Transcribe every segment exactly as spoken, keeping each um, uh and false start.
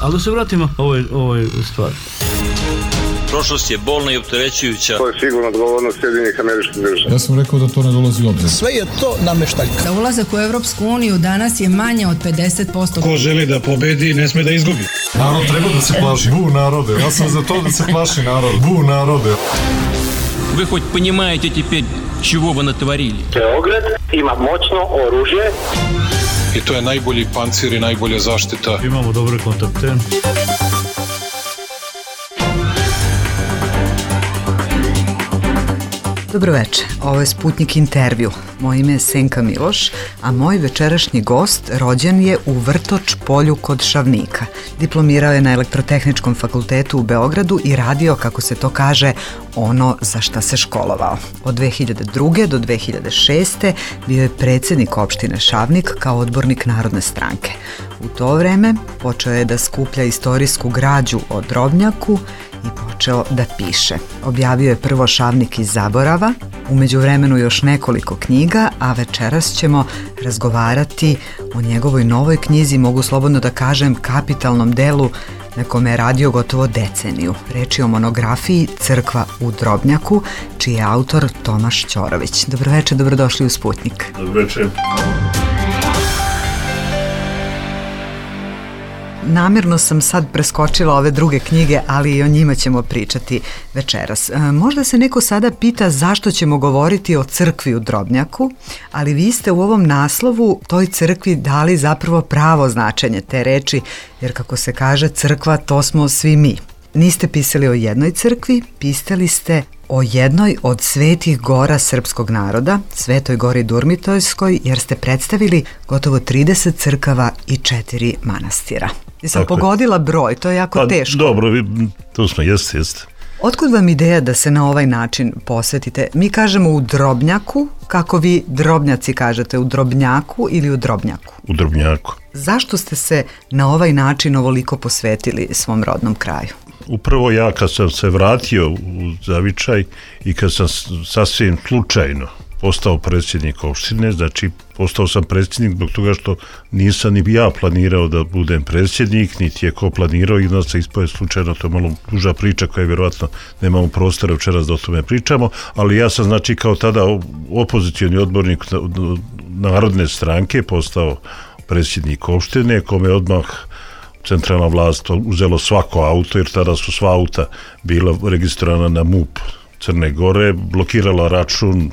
Ali da se vratimo ovoj, ovoj stvari. Prošlost je bolna i opterećujuća. To je sigurno odgovornost Sjedinjenih Američkih Država. Ja sam rekao da to ne dolazi u obzir. Sve je to nameštaljka. Da ulazak u Evropsku uniju danas je manje od pedeset posto. Ko želi da pobedi, ne sme da izgubi. Narod treba da se plaši. Bu narode. Ja sam za to da se plaši narod. Bu narode. Вы хоть понимаете теперь, чего вы натворили? Beograd ima moćno oružje. I to je najbolji pancir i najbolja zaštita. Imamo dobre kontakte. Dobro večer, ovo je Sputnik intervju. Moje ime je Senka Miloš, a moj večerašnji gost rođen je u Vrtoč polju kod Šavnika. Diplomirao je na Elektrotehničkom fakultetu u Beogradu i radio, kako se to kaže, ono za šta se školovao. Od dve hiljade druge. do dve hiljade šeste. bio je predsjednik opštine Šavnik kao odbornik Narodne stranke. U to vreme počeo je da skuplja istorijsku građu o Drobnjaku i počeo da piše. Objavio je prvo Šavnik iz zaborava, u međuvremenu još nekoliko knjiga, a večeras ćemo razgovarati o njegovoj novoj knjizi, mogu slobodno da kažem kapitalnom delu na kome je radio gotovo deceniju. Reč je o monografiji Crkva u Drobnjaku, čiji je autor Tomaš Ćorović. Dobro večer, dobrodošli u Sputnik. Dobro večer. Namjerno sam sad preskočila ove druge knjige, ali i o njima ćemo pričati večeras. E, možda se neko sada pita zašto ćemo govoriti o crkvi u Drobnjaku, ali vi ste u ovom naslovu toj crkvi dali zapravo pravo značenje te reči, jer kako se kaže crkva to smo svi mi. Niste pisali o jednoj crkvi, pisali ste o jednoj od svetih gora srpskog naroda, Svetoj gori Durmitojskoj, jer ste predstavili gotovo trideset crkava i četiri manastira. Jesam pogodila broj, to je jako pa, teško. Dobro, to smo, jeste, jeste. Otkud vam ideja da se na ovaj način posvetite? Mi kažemo u Drobnjaku, kako vi Drobnjaci kažete, u Drobnjaku ili u Drobnjaku? U Drobnjaku. Zašto ste se na ovaj način ovoliko posvetili svom rodnom kraju? Upravo ja kad sam se vratio u Zavičaj i kad sam sasvim slučajno postao predsjednik opštine, znači postao sam predsjednik zbog toga što nisam ni ja planirao da budem predsjednik, niti je ko planirao i da se ispoje slučajno, to je malo duža priča koja vjerovatno nemamo prostora večeras da o tome pričamo, ali ja sam znači kao tada opozicioni odbornik Narodne stranke postao predsjednik opštine, kome odmah centralna vlast uzelo svako auto, jer tada su sva auta bila registrovana na M U P Crne Gore, blokirala račun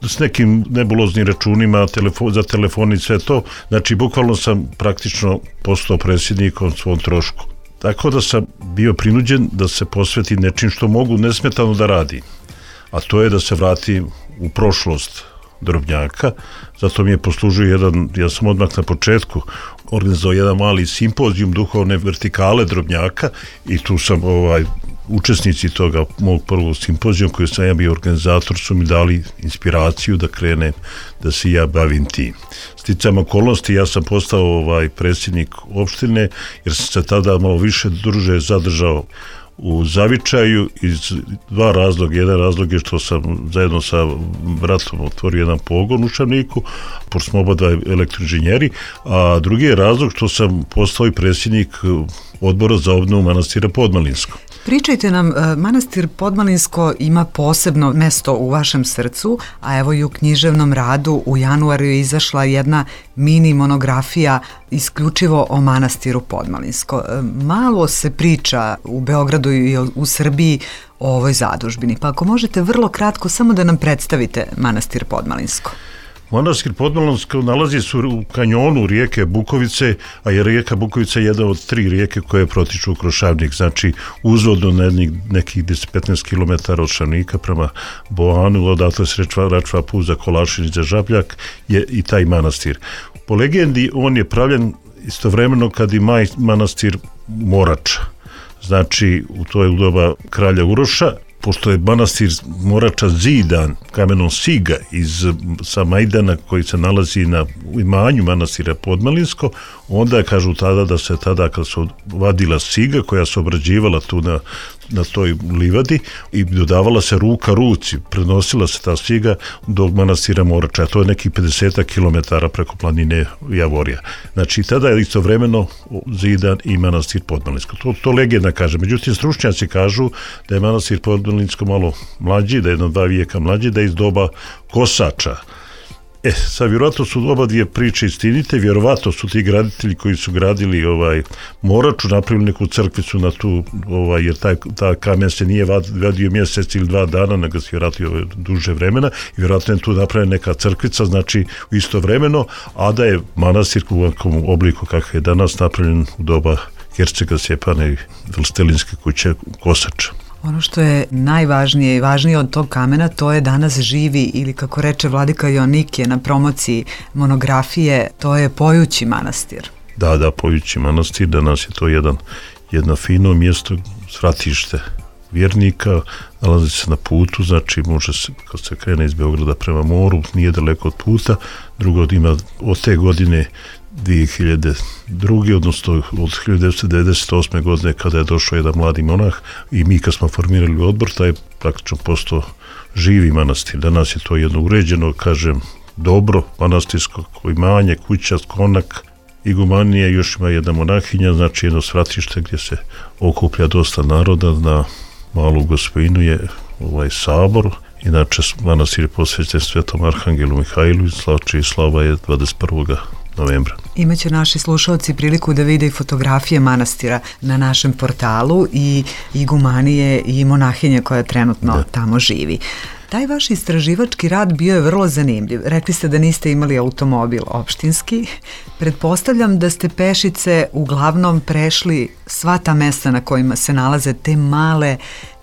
s nekim nebuloznim računima telefon, za telefon i sve to. Znači, bukvalno sam praktično postao predsjednikom svom trošku. Tako da sam bio prinuđen da se posvetim nečim što mogu nesmetano da radim. A to je da se vratim u prošlost Drobnjaka. Zato mi je poslužio jedan, ja sam odmah na početku organizovao jedan mali simpozijum duhovne vertikale Drobnjaka i tu sam ovaj učesnici toga mog prvog simpozijuma koji sam ja bio organizator su mi dali inspiraciju da krenem da se ja bavim tim. Sticam okolnosti ja sam postao ovaj predsjednik opštine jer sam se tada malo više duže zadržao u Zavičaju iz dva razloga. Jedan razlog je što sam zajedno sa bratom otvorio jedan pogon u Šavniku, pošto smo oba dva elektroinženjeri, a drugi je razlog što sam postao i predsjednik odbora za obnovu manastira Podmalinsko. Pričajte nam, manastir Podmalinsko ima posebno mesto u vašem srcu, a evo i u književnom radu u januaru je izašla jedna mini monografija isključivo o manastiru Podmalinsko. Malo se priča u Beogradu i u Srbiji o ovoj zadužbini, pa ako možete vrlo kratko samo da nam predstavite manastir Podmalinsko. Manastir Podmalinsko nalazi se u kanjonu rijeke Bukovice, a je rijeka Bukovica jedna od tri rijeke koje protiču kroz Šavnik, znači uzvodno na nekih deset do petnaest kilometara od Šavnika prema Boanu, odatle se račva put za Kolašin i za Žabljak je i taj manastir. Po legendi on je pravljen istovremeno kad i maj manastir Morača. Znači, to je u doba kralja Uroša pošto je manastir Morača zidan kamenom siga iz, sa Majdana koji se nalazi na imanju manastira Podmalinsko, onda kažu tada da se tada kad se vadila siga koja se obrađivala tu na, na toj livadi i dodavala se ruka ruci, prenosila se ta siga do manastira Morača, to je nekih pedeset kilometara preko planine Javorija. Znači tada je istovremeno zidan i manastir Podmalinsko. To, to legenda kaže. Međutim, stručnjaci kažu da je manastir Podmalinsko malo mlađi, da je jedno dva vijeka mlađi, da je iz doba Kosača. E, sad vjerovatno su oba dvije priče istinite, vjerovatno su ti graditelji koji su gradili ovaj Moraču napravili neku crkvicu na tu, ovaj, jer taj, ta kamen se nije vadio mjesec ili dva dana, nego se vjerovatno duže vremena i vjerovatno je tu napravljena neka crkvica, znači istovremeno, a da je manastir u ovakvom obliku kakav je danas napravljen u doba Hercega Stjepana i Velstelinske kuće Kosača. Ono što je najvažnije i važnije od tog kamena, to je danas živi, ili kako reče vladika Joanikije na promociji monografije, to je pojući manastir. Da, da, pojući manastir, danas je to jedan, jedno fino mjesto, svratište vjernika, nalazi se na putu, znači može se, kad se krene iz Beograda prema moru, nije daleko od puta, drugo ima od te godine dvije hiljade druge. odnosno od hiljadu devetsto devedeset osme. godine kada je došao jedan mladi monah i mi kad smo formirali odbor, taj je praktično postao živi manastir. Danas je to jedno uređeno, kažem, dobro manastirsko imanje, kuća, konak, igumanije, još ima jedna monahinja, znači jedno svratište gdje se okuplja dosta naroda. Na Malu Gospojinu je ovaj sabor. Inače, manastir je posvećen Svetom Arhangelu Mihajlu i čija slava je dvadeset prvog novembra. Imaće naši slušalci priliku da vide i fotografije manastira na našem portalu i igumanije i monahinje koja trenutno da. tamo živi. Taj vaš istraživački rad bio je vrlo zanimljiv. Rekli ste da niste imali automobil opštinski. Pretpostavljam da ste pešice uglavnom prešli sva ta mesta na kojima se nalaze te male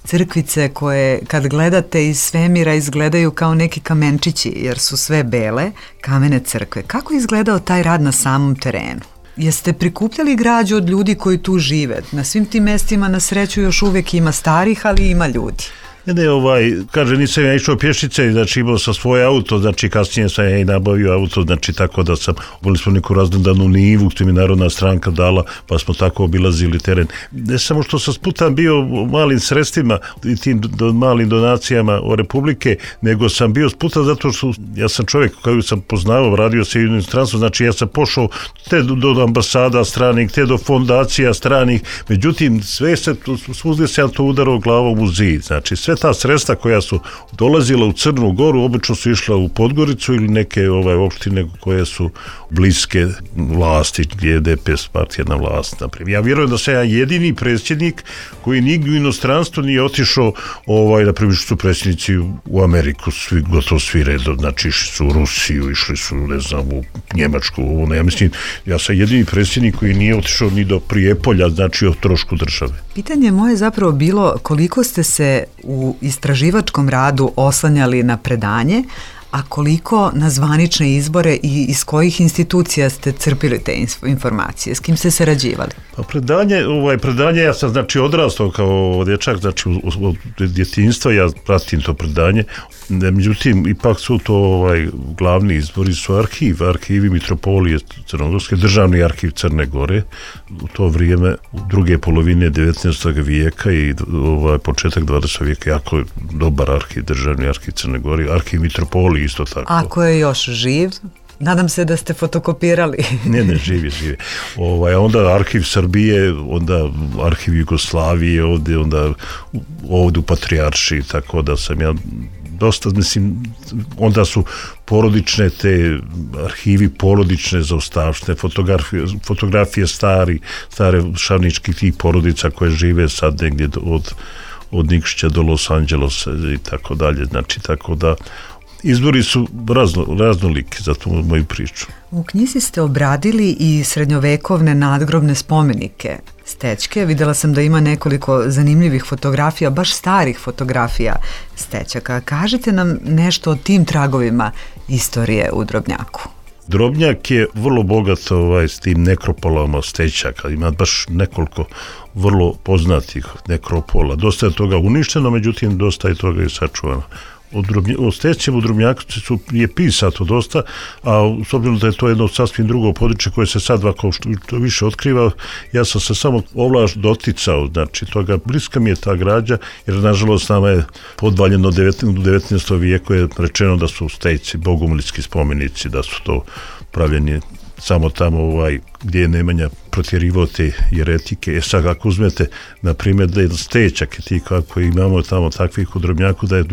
crkvice koje kad gledate iz svemira izgledaju kao neki kamenčići jer su sve bele, kamene crkve. Kako je izgledao taj rad na samom terenu? Jeste prikupljali građu od ljudi koji tu žive? Na svim tim mestima na sreću još uvijek ima starih, ali ima ljudi. Ne, ne, ovaj, kaže, nisam ja išao pješice, znači imao sam svoj auto, znači kasnije sam ja i nabavio auto, znači tako da sam, boli smo neku raznodanu nivu, što mi Narodna stranka dala, pa smo tako obilazili teren. Ne samo što sam sputan bio malim sredstvima i tim do, malim donacijama o Republike, nego sam bio sputan zato što ja sam čovjek koji sam poznavao, radio se u inostranstvu, znači ja sam pošao te do, do ambasada stranih, te do fondacija stranih, međutim sve se, svugdje se ja to udarao glavom u zid, znači sve ta sredstva koja su dolazila u Crnu Goru obično su išla u Podgoricu ili neke ovaj opštine koje su bliske vlasti, gdje je D P S partija na vlast. Naprijed. Ja vjerujem da sam ja jedini predsjednik koji nigdje u inostranstvu nije otišao, ovaj, na primjer su predsjednici u Ameriku, svi, gotovo svi redom, znači išli su u Rusiju, išli su, ne znam, u Njemačku, ovo ne, ja mislim, ja sam jedini predsjednik koji nije otišao ni do Prijepolja, znači o trošku države. Pitanje moje zapravo bilo koliko ste se u istraživačkom radu oslanjali na predanje, a koliko na zvanične izbore i iz kojih institucija ste crpili te informacije, s kim ste sarađivali? Pa predanje, ovaj, predanje, ja sam znači odrastao kao dječak, znači od djetinjstva ja pratim to predanje, međutim ipak su to ovaj, glavni izbori su arhiv, arhivi Mitropolije Crnogorske, državni arhiv Crne Gore, u to vrijeme u druge polovine devetnaestog vijeka i ovaj, početak dvadesetog vijeka, jako dobar arhiv, državni arhiv Crne Gore, arhiv Mitropolije isto tako. Ako je još živ, nadam se da ste fotokopirali. ne, ne, živi, živi. Ovaj, onda arhiv Srbije, onda arhiv Jugoslavije, ovdje, onda ovdje u Patrijaršiji, tako da sam ja dosta, mislim, onda su porodične te arhivi, porodične zaostavštine, fotografije, fotografije stari, stare šavničkih tih porodica koje žive sad negdje od, od Nikšića do Los Angelesa i tako dalje, znači tako da izbori su razno, raznoliki za tu moju priču. U knjizi ste obradili i srednjovekovne nadgrobne spomenike Stećke. Vidjela sam da ima nekoliko zanimljivih fotografija, baš starih fotografija Stećaka. Kažite nam nešto o tim tragovima istorije u Drobnjaku. Drobnjak je vrlo bogat ovaj, s tim nekropolama Stećaka, ima baš nekoliko vrlo poznatih nekropola. Dosta je toga uništeno, međutim dosta je toga i sačuvano. O, drobnje, o Stećevu Drobnjaku su, je pisato dosta, a s obzirom da je to jedno sasvim drugo područje koje se sad ovako što više otkriva, ja sam se samo ovlaš doticao, znači toga bliska mi je ta građa, jer nažalost nama je podvaljeno u devetnaestom vijeku je rečeno da su Stećci bogumilski spomenici, da su to pravljeni samo tamo ovaj, gdje je Nemanja protjerivao te jeretike. E sad ako uzmete, na primjer, da je Stećak i ti kako imamo tamo takvih u Drobnjaku, da je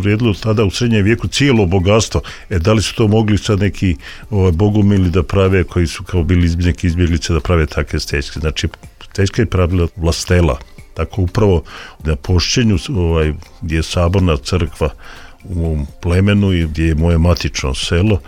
vrijedilo tada u srednjem vijeku cijelo bogatstvo. E da li su to mogli sad neki ovaj, bogumili da prave, koji su kao bili neki izbjeglice da prave takve Stećke. Znači, Stećka je pravila vlastela. Tako upravo na Pošćenju, ovaj, gdje je saborna crkva u mom plemenu i gdje je moje matično selo,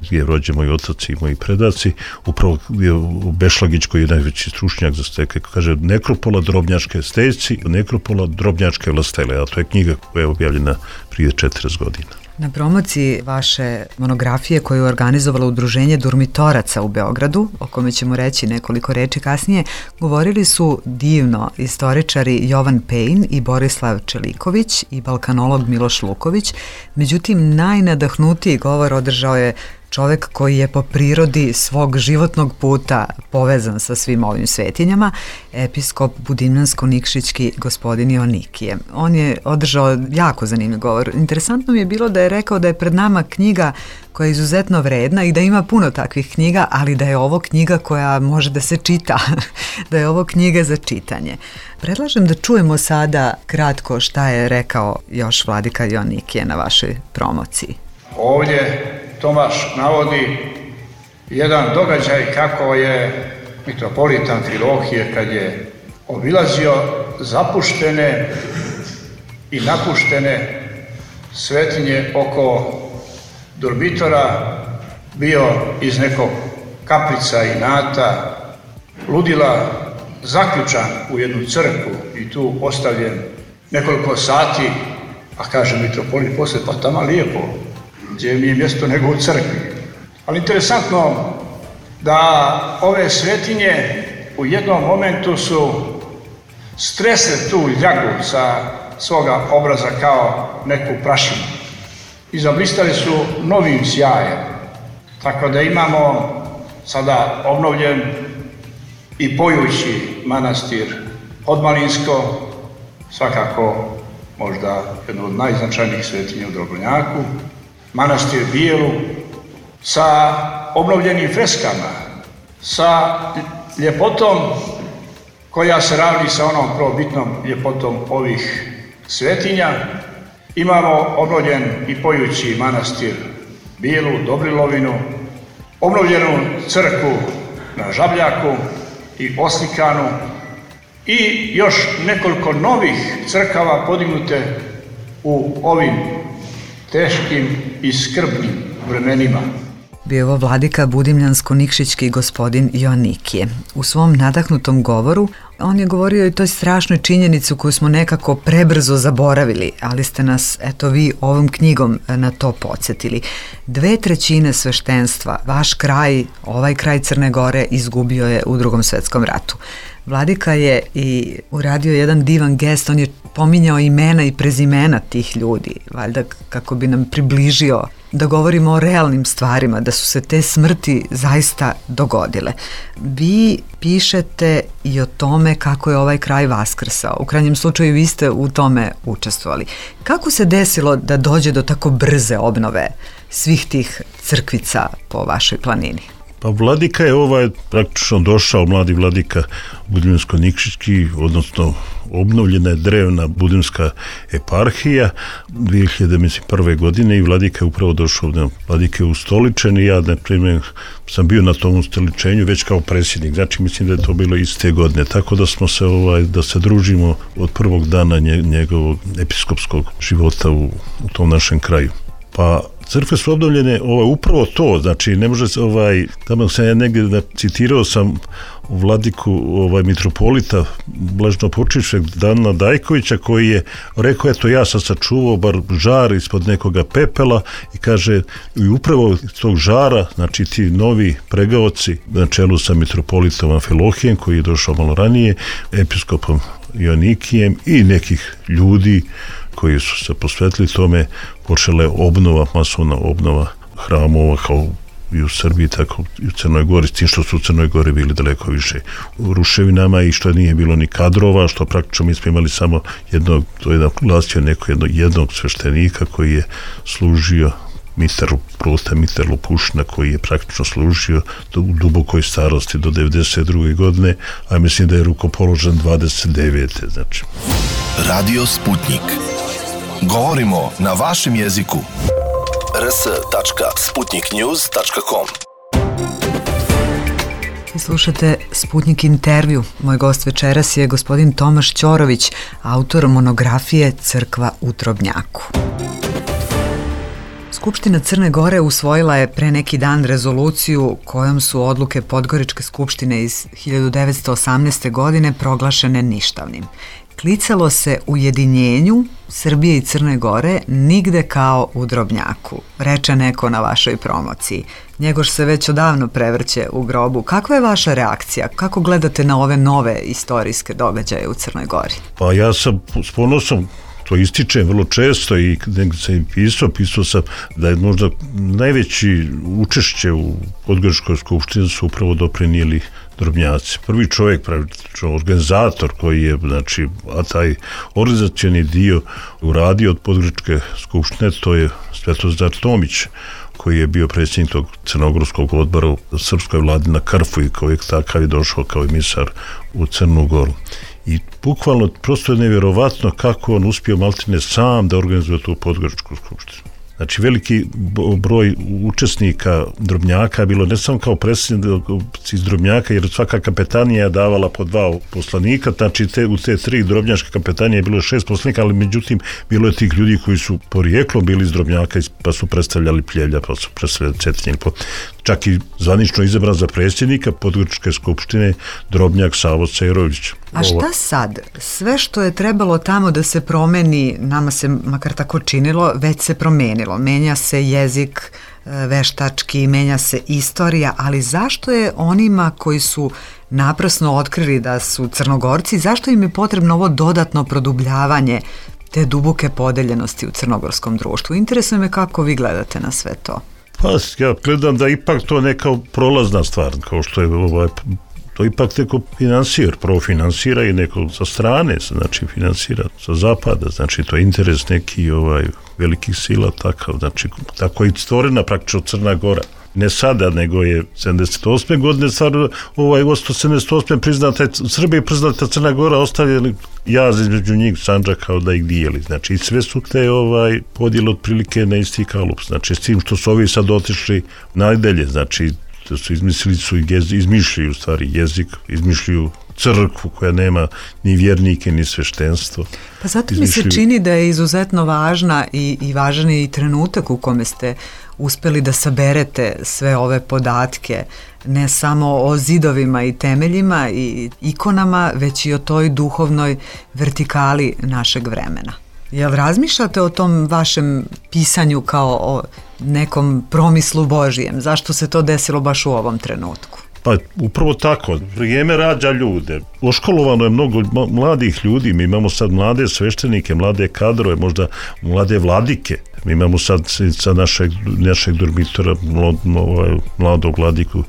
gdje je rođen moj otac i moji predaci, upravo je u Bešlagić koji je najveći stručnjak za steke, kaže nekropola Drobnjačke Stećci, nekropola Drobnjačke vlastele, a to je knjiga koja je objavljena prije četrdeset godina. Na promociji vaše monografije koju je organizovalo Udruženje Durmitoraca u Beogradu, o kome ćemo reći nekoliko reči kasnije, govorili su divno istoričari Jovan Pejn i Borislav Čeliković i balkanolog Miloš Luković, međutim najnadahnutiji govor održao je čovek koji je po prirodi svog životnog puta povezan sa svim ovim svetinjama, episkop Budimljansko-Nikšićki gospodin Joannikije. On je održao jako zanimljiv govor. Interesantno mi je bilo da je rekao da je pred nama knjiga koja je izuzetno vredna i da ima puno takvih knjiga, ali da je ovo knjiga koja može da se čita, da je ovo knjiga za čitanje. Predlažem da čujemo sada kratko šta je rekao još vladika Joannikije na vašoj promociji. Ovdje Tomaš navodi jedan događaj kako je mitropolita Amfilohije kad je obilazio zapuštene i napuštene svetinje oko Durmitora, bio iz nekog kaprica i nata, ludila, zaključan u jednu crkvu i tu ostavljen nekoliko sati, a kaže mitropolit posle, pa tamo lijepo, gdje mi je mjesto nego u crkvi. Ali interesantno da ove svetinje u jednom momentu su stresle tu ljagu sa svoga obraza kao neku prašinu i zablistali su novim sjajem. Tako da imamo sada obnovljen i pojući manastir Podmalinsko, svakako možda jedno od najznačajnijih svetinja u Drobnjaku, manastir Bijelu, sa obnovljenim freskama, sa ljepotom koja se ravni sa onom prvobitnom ljepotom ovih svetinja. Imamo obnovljen i pojući manastir Bijelu, Dobrilovinu, obnovljenu crkvu na Žabljaku i oslikanu i još nekoliko novih crkava podignute u ovim teškim i skrbnim vremenima. Bio ovo vladika Budimljansko-Nikšićki gospodin Joannikije. U svom nadahnutom govoru on je govorio i toj strašnoj činjenicu koju smo nekako prebrzo zaboravili, ali ste nas, eto vi, ovom knjigom na to podsjetili. Dve trećine sveštenstva, vaš kraj, ovaj kraj Crne Gore, izgubio je u Drugom svetskom ratu. Vladika je i uradio jedan divan gest, on je pominjao imena i prezimena tih ljudi, valjda kako bi nam približio da govorimo o realnim stvarima, da su se te smrti zaista dogodile. Vi pišete i o tome kako je ovaj kraj vaskrsao. U krajnjem slučaju vi ste u tome učestvovali. Kako se desilo da dođe do tako brze obnove svih tih crkvica po vašoj planini? Pa vladika je ovaj praktično došao, mladi vladika Budimljansko-Nikšićki, odnosno obnovljena je drevna budimska eparhija dvije hiljade prve godine i vladika je upravo došao, ne, vladika je ustoličen i ja, na primjer, sam bio na tom ustoličenju već kao predsjednik, znači mislim da je to bilo iste godine, tako da smo se, ovaj, da se družimo od prvog dana nje, njegovog episkopskog života u, u tom našem kraju. Pa crkve su obnovljene ovaj, upravo to, znači ne može se, ovaj, tamo sam ja negdje da citirao sam vladiku ovaj, mitropolita blaženopočivšeg Dana Dajkovića koji je rekao, eto ja sam sačuvao bar žar ispod nekoga pepela i kaže, i upravo iz tog žara, znači ti novi pregaoci na čelu sa mitropolitom Amfilohijem koji je došao malo ranije, episkopom Ionikijem i nekih ljudi koji su se posvetili tome, počela je obnova, masovna obnova hramova kao i u Srbiji, tako i u Crnoj Gori, s tim što su u Crnoj Gori bili daleko više u ruševinama i što nije bilo ni kadrova, što praktično mi smo imali samo jednog, to je glasio neko jednog, jednog sveštenika koji je služio Mitar Prota, Mitar Lupušina koji je praktično služio do, u dubokoj starosti do devedeset druge godine, a mislim da je rukopoložen dvadeset devete znači. Radio Sputnik. Govorimo na vašem jeziku. r s tačka sputnik news tačka com. Slušate Sputnik intervju. Moj gost večeras je gospodin Tomaš Ćorović, autor monografije Crkva u Drobnjaku. Skupština Crne Gore usvojila je pre neki dan rezoluciju kojom su odluke Podgoričke skupštine iz hiljadu devetsto osamnaeste. godine proglašene ništavnim. Klicalo se ujedinjenju Srbije i Crne Gore nigde kao u Drobnjaku, reče neko na vašoj promociji. Njegoš se već odavno prevrće u grobu. Kakva je vaša reakcija? Kako gledate na ove nove istorijske događaje u Crnoj Gori? Pa ja sam s ponosom to ističem vrlo često i negdje sam im pisao, pisao sam da je možda najveći učešće u Podgoričkoj skupštini su upravo doprinijeli Drobnjaci. Prvi čovjek, pravično organizator koji je, znači, a taj organizacioni dio uradio od Podgoričke skupštine, to je Svetozar Tomić, koji je bio predsjednik tog crnogorskog odbora u srpskoj vladi na Krfu i koji je takav je došao kao emisar u Crnu Goru. I bukvalno prosto je nevjerovatno kako on uspio maltene sam da organizuje tu Podgoričku skupštinu. Znači veliki broj učesnika Drobnjaka je bilo ne samo kao predsjednici iz Drobnjaka, jer svaka kapetanija je davala po dva poslanika, znači te, u te tri drobnjačke kapetanije je bilo šest poslanika, ali međutim bilo je tih ljudi koji su porijeklom bili iz Drobnjaka pa su predstavljali Pljevlja, pa su predstavljali Cetinje, čak i zvanično izabran za predsjednika Podgoričke skupštine Drobnjak Savo Cerović. A šta sad? Sve što je trebalo tamo da se promeni, nama se makar tako činilo, već se promenilo. Menja se jezik veštački, menja se istorija, ali zašto je onima koji su naprasno otkrili da su Crnogorci, zašto im je potrebno ovo dodatno produbljavanje te duboke podeljenosti u crnogorskom društvu? Interesuje me kako vi gledate na sve to. Pa ja gledam da ipak to neka prolazna stvar, kao što je ovaj, to ipak neko finansir, prvo finansira i neko sa strane, znači finansira sa zapada, znači to je interes neki ovaj, velikih sila takav, znači tako je stvorena praktično Crna Gora. Ne sada, nego je sedamdeset osme godine stvar, ovaj, osto sedamdeset osme priznata je Srbija i priznata Crna Gora, ostavili jaz između njih Sandžaka kao da ih dijeli. Znači i sve su te ovaj, podijeli otprilike na isti kalup. Znači s tim što su ovi sad otišli najdalje, znači da su izmislili su i izmišljaju stvari jezik, izmišljaju crkvu koja nema ni vjernike ni sveštenstvo. Pa zato mi se čini da je izuzetno važna i, i važan je i trenutak u kome ste uspeli da saberete sve ove podatke, ne samo o zidovima i temeljima i ikonama, već i o toj duhovnoj vertikali našeg vremena. Jel razmišljate o tom vašem pisanju kao o nekom promislu Božijem? Zašto se to desilo baš u ovom trenutku? Pa upravo tako, vrijeme rađa ljude. Oškolovano je mnogo mladih ljudi, mi imamo sad mlade sveštenike, mlade kadrove, možda mlade vladike. Mi imamo sad sa našeg, našeg dormitora mladog vladiku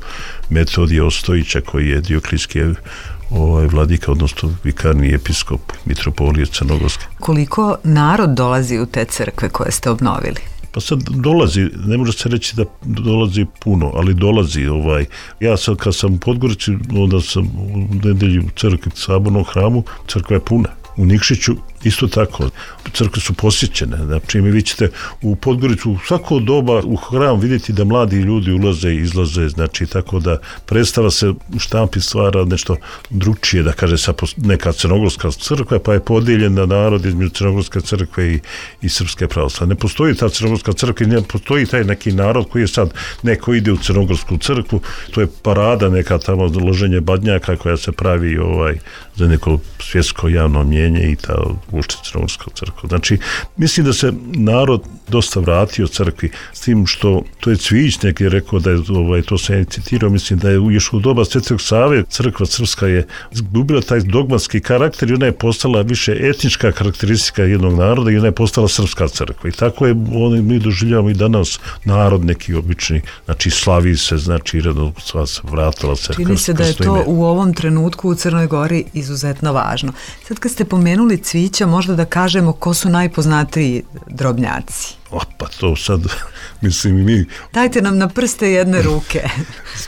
Metodija Ostojića koji je Dioklijski ovaj vladika, odnosno vikarni episkop mitropolije Crnogorske. Koliko narod dolazi u te crkve koje ste obnovili? Pa sad dolazi, ne može se reći da dolazi puno, ali dolazi. Ovaj. Ja sad kad sam u Podgorici, onda sam u nedelju u crkvi, sabornom hramu, crkva je puna. U Nikšiću Isto tako, crkve su posjećene. Znači, mi vi ćete u Podgoricu u svako doba u hram vidjeti da mladi ljudi ulaze i izlaze, znači, tako da predstava se u štampi stvara nešto drugčije, da kaže sa neka crnogorska crkva, pa je podijeljena narod između crnogorske crkve i, i srpske pravoslavne. Ne postoji ta crnogorska crkva i ne postoji taj neki narod koji je sad, neko ide u crnogorsku crkvu, to je parada neka tamo loženje badnjaka koja se pravi ovaj, za neko svjetsko javno mnjenje i ta uopšte crnogorska crkva. Znači, mislim da se narod dosta vratio crkvi, s tim što, to je Cvijić neki rekao da je, ovaj, to se je citirao, mislim da je još u doba Svetog Save crkva srpska je izgubila taj dogmatski karakter i ona je postala više etnička karakteristika jednog naroda i ona je postala srpska crkva. I tako je, oni, mi doživljavamo i danas narod neki obični, znači slavi se, znači redno sva se vratila se. Čini se da je to u ovom trenutku u Crnoj Gori izuzetno važno. Sad kad ste pomenuli Cvijića, možda da kažemo ko su najpoznatiji drobnjaci. O, pa to sad, mislim i mi... Dajte nam na prste jedne ruke.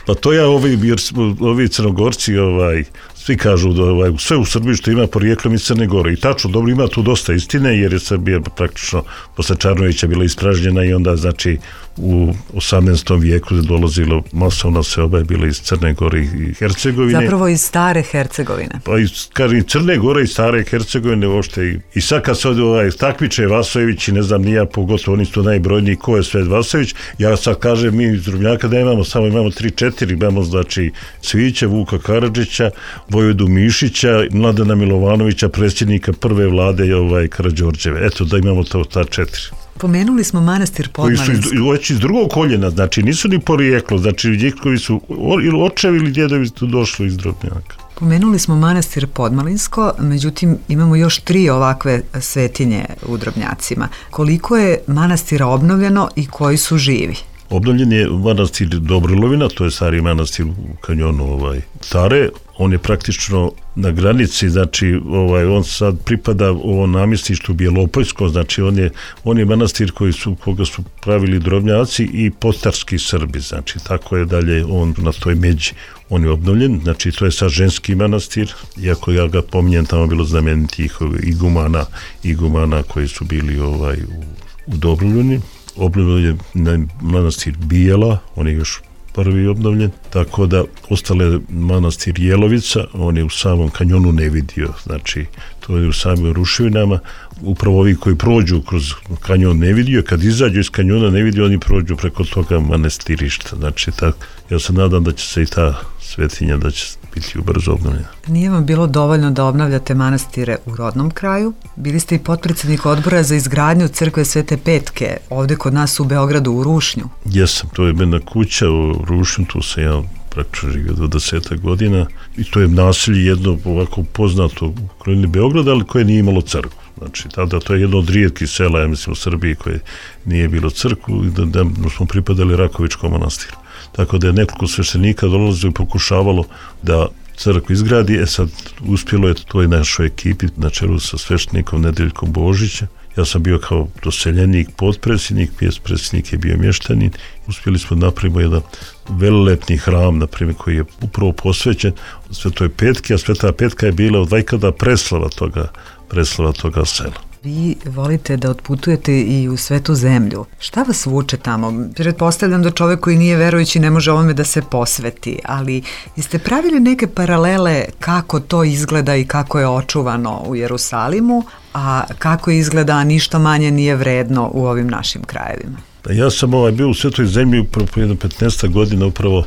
Pa to ja, ovi, jer ovi Crnogorci, ovaj, svi kažu da ovaj, sve u Srbiji što ima porijeklom iz Crne Gore. I tačno, dobro, ima tu dosta istine, jer je Srbija praktično posle Čarnovića bila ispražnjena i onda, znači, u osamnaestom vijeku je dolazilo masovna seoba je bila iz Crne Gore i Hercegovine. Zapravo iz stare Hercegovine. Pa iz, kažem, Crne Gore i stare Hercegovine uopšte. I, i sad kad se ovdje ovaj, takmiče Vasojević i ne znam nija, pogotovo oni su najbrojniji ko je Svet Vasojević, ja sad kažem mi iz Drobnjaka da imamo samo imamo tri četiri, imamo znači Cvijića, Vuka Karadžića, Vojvodu Mišića, Mladena Milovanovića, predsjednika prve vlade ovaj, Karađorđeve. Eto da imamo to ta četiri. Pomenuli smo manastir Podmalinsko. Koji su iz, iz drugog koljena, znači nisu ni porijeklo, znači njihovi su ili očevi ili djedovi su došli iz Drobnjaka. Pomenuli smo manastir Podmalinsko, međutim imamo još tri ovakve svetinje u Drobnjacima. Koliko je manastira obnovljeno i koji su živi? Obnovljen je manastir Dobrolovina, to je stari manastir u kanjonu ovaj, Tare. On je praktično na granici, znači ovaj, on sad pripada ovo namjestištu Bjelopojsko, znači on je, on je manastir koji su, koga su pravili Drobnjaci i postarski Srbi, znači tako je dalje on na toj međi. On je obnovljen, znači to je sad ženski manastir, iako ja ga pominjem, tamo bilo znamenitih igumana, igumana koji su bili ovaj, u, u Dobrolovini. Obnovljen je manastir Bijela, on je još prvi obnovljen, tako da ostale manastir Jelovica, on je u samom kanjonu ne vidio, znači to je u samim ruševinama, upravo ovi koji prođu kroz kanjon ne vidio, kad izađu iz kanjona ne vidio, oni prođu preko toga manastirišta, znači tak, ja se nadam da će se i ta svetinja da će biti ubrzo obnovljena. Nije vam bilo dovoljno da obnavljate manastire u rodnom kraju? Bili ste i potpredsjednik odbora za izgradnju crkve Svete Petke, ovdje kod nas u Beogradu, u Rušnju. Jesam, to je jedna kuća u Rušnju, tu sam ja praktično živio dvadeset godina i to je naselje jedno ovako poznato u okolini Beograda, ali koje nije imalo crkvu. Znači, tada to je jedno od rijetkih sela, ja mislim, u Srbiji koje nije bilo crkvu i da, da smo pripadali Rakovičkom manastiru. Tako da je nekoliko sveštenika dolazilo i pokušavalo da crkvu izgradi, e sad uspjelo je toj našoj ekipi na čelu sa sveštenikom Nedeljkom Božića. Ja sam bio kao doseljenik, potpredsjednik, predsjednik je bio mještanin. Uspjeli smo napravimo jedan velelepni hram, na primjer, koji je upravo posvećen Svetoj Petki, a Sveta Petka je bila od vajkada preslava toga, preslava toga sela. Vi volite da otputujete i u svetu zemlju. Šta vas vuče tamo? Pretpostavljam da čovjek koji nije verujući ne može ovome da se posveti, ali jeste pravili neke paralele kako to izgleda i kako je očuvano u Jerusalimu, a kako izgleda, a ništa manje nije vredno u ovim našim krajevima? Ja sam ovaj, bio u Svetoj zemlji upravo po jedno petnaest godina upravo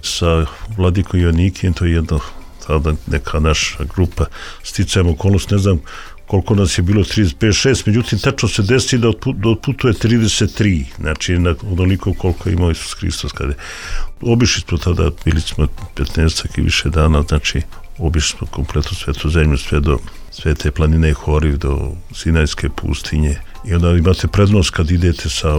sa vladikom Joannikijem, to je jedna tada neka naša grupa, sticajem okolnost, ne znam koliko nas je bilo, trideset pet šest, međutim tačno se desi da otputuje trideset tri, znači na onoliko koliko je imao Isus Hristos. Kada je. Obišli smo tada, bili smo petnaest i više dana, znači obišli smo kompletnu Svetu zemlju, sve do Svete planine Horiv, do Sinajske pustinje i onda imate prednost kad idete sa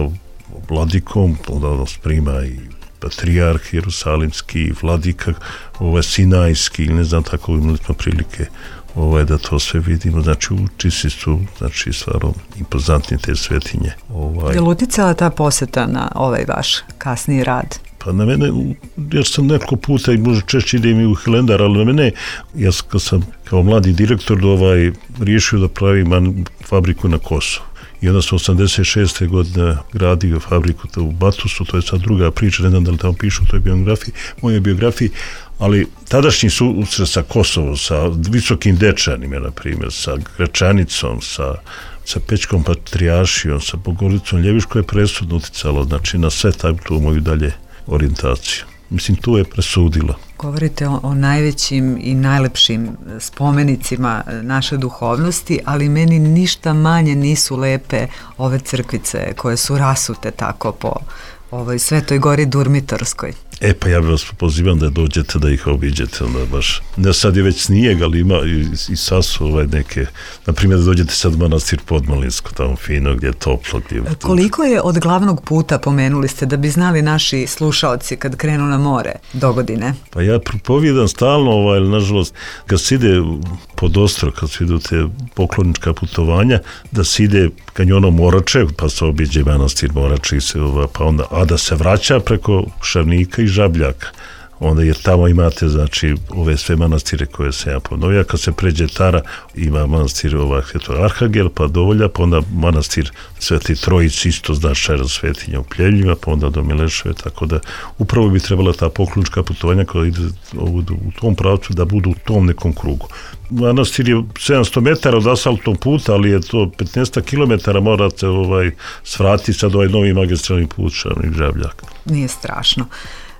vladikom, onda nas prima i patrijarh Jerusalimski, vladika ovaj, Sinajski, ne znam, tako imali smo prilike ovaj, da to sve vidimo, znači učisi su, znači stvarno impozantni te svetinje. Ovaj. Je li uticala ta posjeta na ovaj vaš kasniji rad? Pa na mene, ja sam nekoliko puta i možda češće idem i u Hilendar, ali na mene, ja kad sam kao mladi direktor ovaj, riješio da pravim fabriku na Kosovu. I onda sam osamdeset šeste godine gradio fabriku u Batusu, to je sad druga priča, ne znam da li tamo pišu u toj biografiji, moje biografiji, ali tadašnji susret sa Kosovom, sa Visokim Dečanima, na primjer, sa Gračanicom, sa, sa Pećkom Patrijaršijom, sa Bogoricom Ljeviško je presudno uticalo, znači na sve tu moju dalje orijentaciju. Mislim, tu je presudilo. Govorite o, o najvećim i najlepšim spomenicima naše duhovnosti, ali meni ništa manje nisu lepe ove crkvice koje su rasute tako po ovoj Svetoj gori Durmitorskoj. E pa ja bih vas pozivam da dođete da ih obiđete, onda baš, ne sad je već snijeg, ali ima i, i sad su ovaj neke, na primjer da dođete sad u manastir Podmalinsko, tamo fino, gdje je toplo. Gdje je Koliko je od glavnog puta, pomenuli ste, da bi znali naši slušaoci kad krenu na more do godine? Pa ja propovijedam stalno, ovaj, nažalost, kad se ide pod Ostro, kad se idu te poklonička putovanja, da se ide kanjonom Morače, pa se obiđe manastir Morače, i se, ovaj, pa onda, a da se vraća preko Šavnika i Žabljaka. Onda jer tamo imate, znači, ove sve manastire koje se ja ponovija. Kad se pređe Tara, ima manastir ovaj, Arhangel, pa Dovolja, pa onda manastir Sveti Trojici, isto značajna svetinja u Pljevljima, pa onda do Mileševe, tako da upravo bi trebala ta poklonička putovanja koja ide u tom pravcu da budu u tom nekom krugu. Manastir je sedamsto metara od asfaltnog puta, ali je to petnaest kilometara, morate ovaj, svratiti sad ovaj novi magistralni put Šavnik Žabljak. Nije strašno.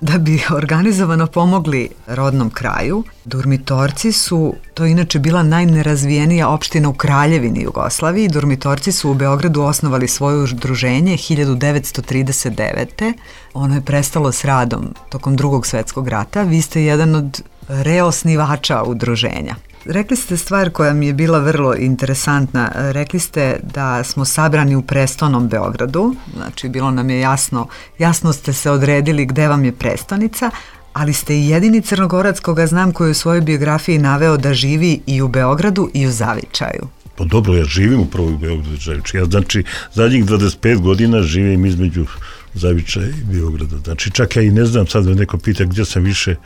Da bi organizovano pomogli rodnom kraju, Durmitorci su, to je inače bila najnerazvijenija opština u Kraljevini Jugoslaviji, Durmitorci su u Beogradu osnovali svoje udruženje hiljadu devetsto trideset devete. Ono je prestalo s radom tokom Drugog svjetskog rata. Vi ste jedan od reosnivača udruženja. Rekli ste stvar koja mi je bila vrlo interesantna. Rekli ste da smo sabrani u prestolnom Beogradu, znači bilo nam je jasno, jasno ste se odredili gde vam je prestonica, ali ste i jedini Crnogorac koga znam koji u svojoj biografiji naveo da živi i u Beogradu i u Zavičaju. Pa dobro, ja živim upravo u Beogradu i Zavičaju. Ja znači zadnjih dvadeset pet godina živim između Zavičaja i Beograda. Znači čak ja i ne znam, sad me neko pita gdje sam više,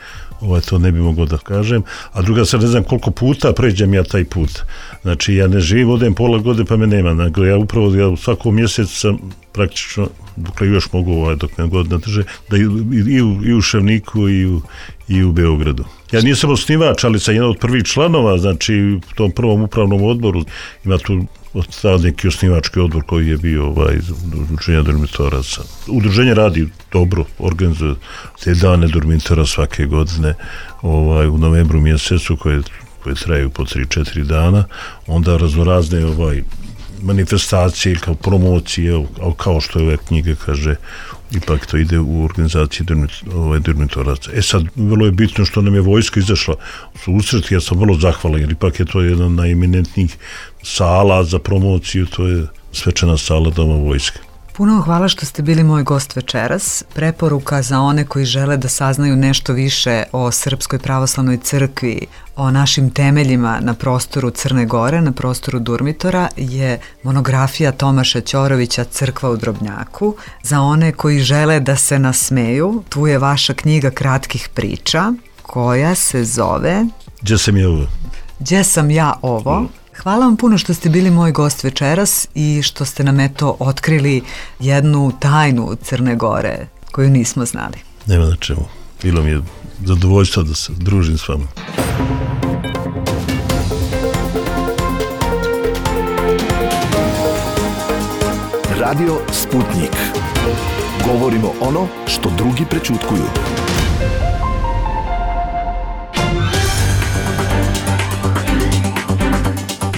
ovaj, to ne bi mogao da kažem, a druga sad ne znam koliko puta pređem ja taj put. Znači ja ne živim, odem pola godine pa me nema, nego ja upravo ja u svakom mjesecu sam praktično, dokle još mogu ovaj, dok me god nadrže, da i, i, u, i u Šavniku i u, i u Beogradu. Ja nisam osnivač, ali sam jedan od prvih članova, znači u tom prvom upravnom odboru ima tu od neki osnivački odbor koji je bio ovaj, udruženja Durmitoraca. Udruženje radi dobro, organizuje te dane Durmitora svake godine ovaj, u novembru mjesecu koje, koje traju po tri četiri dana, onda raznorazne ovaj, manifestacije kao promocije, kao što je ove knjige kaže, ipak to ide u organizaciji ovaj, Durmitoraca. E sad, vrlo je bitno što nam je vojska izašla u susret, ja sam vrlo zahvalan, jer ipak je to jedan od najeminentnijih sala za promociju, to je svečana sala Doma vojske. Puno hvala što ste bili moj gost večeras. Preporuka za one koji žele da saznaju nešto više o Srpskoj pravoslavnoj crkvi, o našim temeljima na prostoru Crne Gore, na prostoru Durmitora, je monografija Tomaša Ćorovića Crkva u Drobnjaku. Za one koji žele da se nasmeju, tu je vaša knjiga kratkih priča, koja se zove... Gdje sam ja ovo? Gdje sam ja ovo? Mm. Hvala vam puno što ste bili moj gost večeras i što ste nam eto otkrili jednu tajnu Crne Gore koju nismo znali. Nema na čemu. Bilo mi je zadovoljstvo da se družim s vama. Radio Sputnik. Govorimo ono što drugi prećutkuju.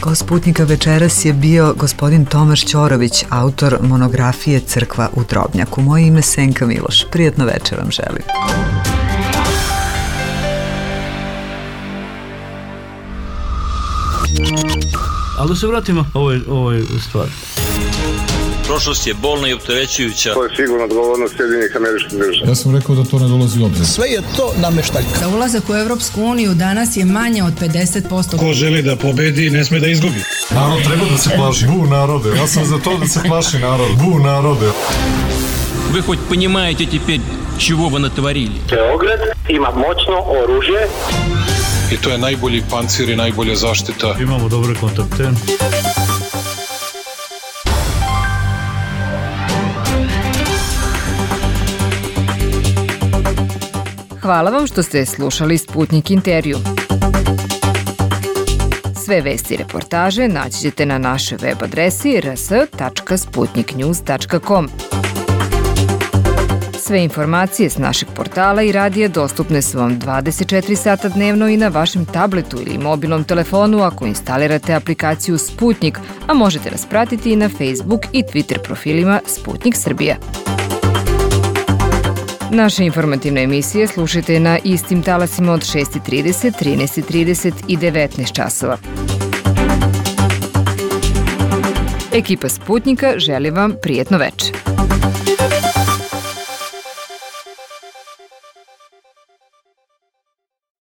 Gost Sputnika večeras je bio gospodin Tomaš Ćorović, autor monografije Crkva u Drobnjaku. Moje ime Senka Miloš. Prijatno večer vam želim. Ali da se vratimo ovoj, ovoj stvari. Prošlost je bolna i opterećujuća. To je sigurno odgovornost Sjedinjenih Američkih Država. Ja sam rekao da to ne dolazi u obzir. Sve je to nameštaljka. Za ulazak u Evropsku uniju danas je manje od pedeset posto. Ko želi da pobedi, ne sme da izgubi. Narod treba da se plaši. Bu narode. Ja sam za to da se plaši narod. Bu narode. Вы хоть понимаете теперь, чего вы натворили. Beograd ima moćno oružje. I to je najbolji pancir i najbolja zaštita. Imamo dobre kontakte. Hvala vam što ste slušali Sputnik intervju. Sve vesti i reportaže naći ćete na našoj web adresi r s tačka sputnik news tačka com. Sve informacije s našeg portala i radija dostupne su vam dvadeset četiri sata dnevno i na vašem tabletu ili mobilnom telefonu ako instalirate aplikaciju Sputnik, a možete nas pratiti i na Facebook i Twitter profilima Sputnik Srbija. Naše informativne emisije slušajte na istim talasima od šest i trideset, trinaest i trideset i devetnaest časova. Ekipa Sputnika želi vam prijetno veče.